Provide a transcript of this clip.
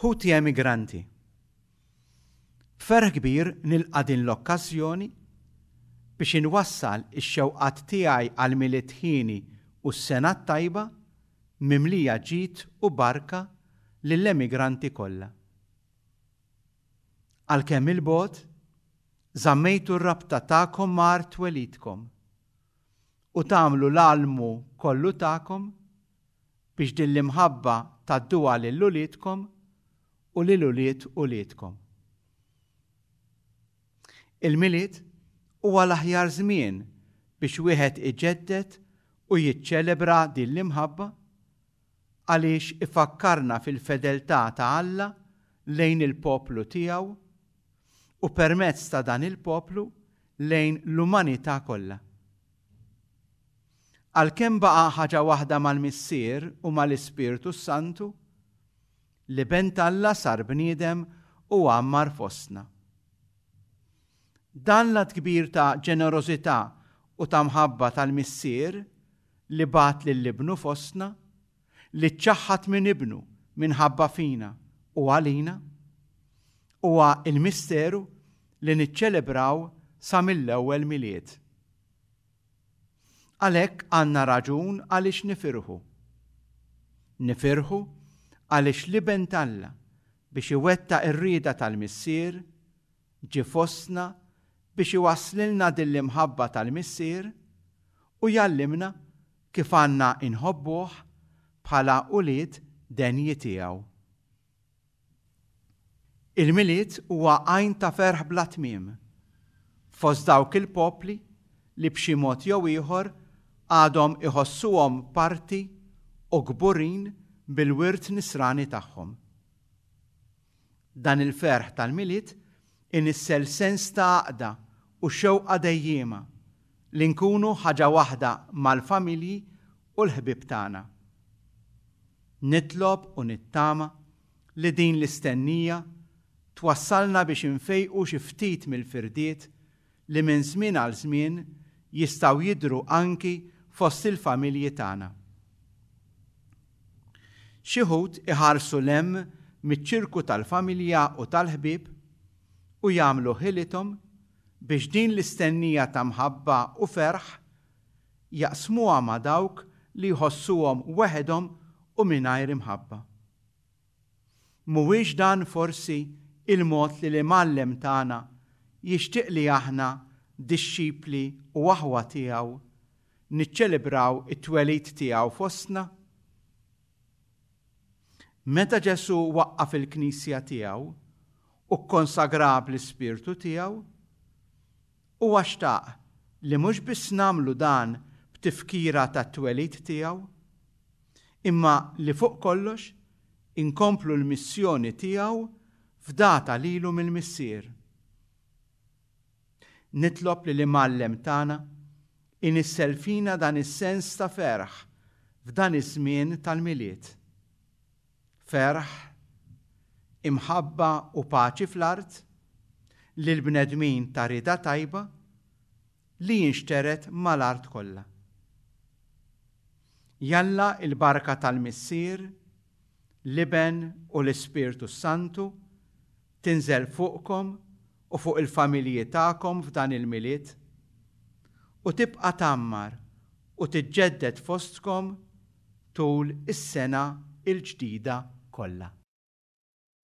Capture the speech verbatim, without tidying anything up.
Ħuti emigranti, b'ferħ kbir nilqa' din l-okkażjoni biex inwassal ix-xewqat tiegħi għal Milied ħieni u s-sena t-tajba mimlija ġid u barka lill-emigranti kollha. Għalkemm 'il bogħod, żammejtu r-rabta tagħkom ma' art twelidkom u tagħmlu l-almu kollu tagħkom biex din l-imħabba tgħadduha lil uliedkom u lil ulied uliedkom. Il-Milied huwa l-aħjar żmien biex wieħed iġedded u jiċċelebra din l-imħabba għaliex ifakkarna fil-fedeltà ta' Alla lejn il-poplu tiegħu u permezz ta' dan il-poplu lejn l-umanità kollha. Għalkemm baqa' ħaġa waħda mal-Missier u mal-Ispirtu Santu, l-Iben t'Alla sar bniedem u għammar fostna. Dan l-att kbir ta' ġenerożità u ta' mħabba tal-Missier li bagħat lil ibnu fostna, li ċċaħħad minn ibnu minħabba fina u għalina, huwa il-misteru li niċċelebraw sa mill-ewwel Milied. Għalhekk għandna raġun għaliex nifirħu. Nifirħu għaliex l-Iben t'Alla biex iwettaq ir-rieda tal-Missier ġie fostna biex iwasslilna din l-imħabba tal-Missier u jgħallimna kif għandna inħobbuh bħala ulied denji tiegħu. Il-Milied huwa għajn ta' ferħ bla tmiem fost dawk il-popli li b'xi mod jew ieħor għadhom iħossuhom parti u kburin bil-wirt nisrani tagħhom. Dan il-ferħ tal-Milied inissel sens ta' għaqda u xewqa dejjiema li nkunu ħaġa waħda mal-familji u l-ħbieb tagħna. Nitlob u nittama li din l-istennija twassalna biex infejqu xi ftit mill-firdiet li minn żmien għal żmien jistgħu jidhru anki fost il-familji tagħna. Xi wħud iħarsu 'l hemm miċ-ċirku tal-familja u tal-ħbieb u jagħmlu ħilithom biex din l-istennija ta' mħabba u ferħ jaqsmuha ma' dawk li jħossuhom weħedhom u mingħajr imħabba. Mhuwiex dan forsi il-mod li l-Imgħallem tagħna jixtieq li aħna dixxipli u aħwa tiegħu niċċelebraw it-twelid tiegħu fostna? Meta Ġesù waqqaf il-Knisja tiegħu u kkonsagra bl-Ispirtu tiegħu, huwa xtaq li mhux biss nagħmlu dan b'tifkira tat-twelid tiegħu, imma li fuq kollox inkomplu l-missjoni tiegħu fdata lilu mill-Missier. Nitlob li l-Imgħallem tagħna inissel fina dan is-sens ta' ferħ f'dan iż-żmien tal-Milied. Ferħ, imħabba u paċi fl-art lil bnedmin ta' rieda tajba li jinxteret mal-art kollha. Jalla il-barka tal-Missier, l-Iben u l-Ispirtu Santu tinżel fuqkom u fuq il-familji tagħkom f'dan il-Milied u tibqa' tgħammar u tiġġedded fostkom tul is-sena il-ġdida kollha.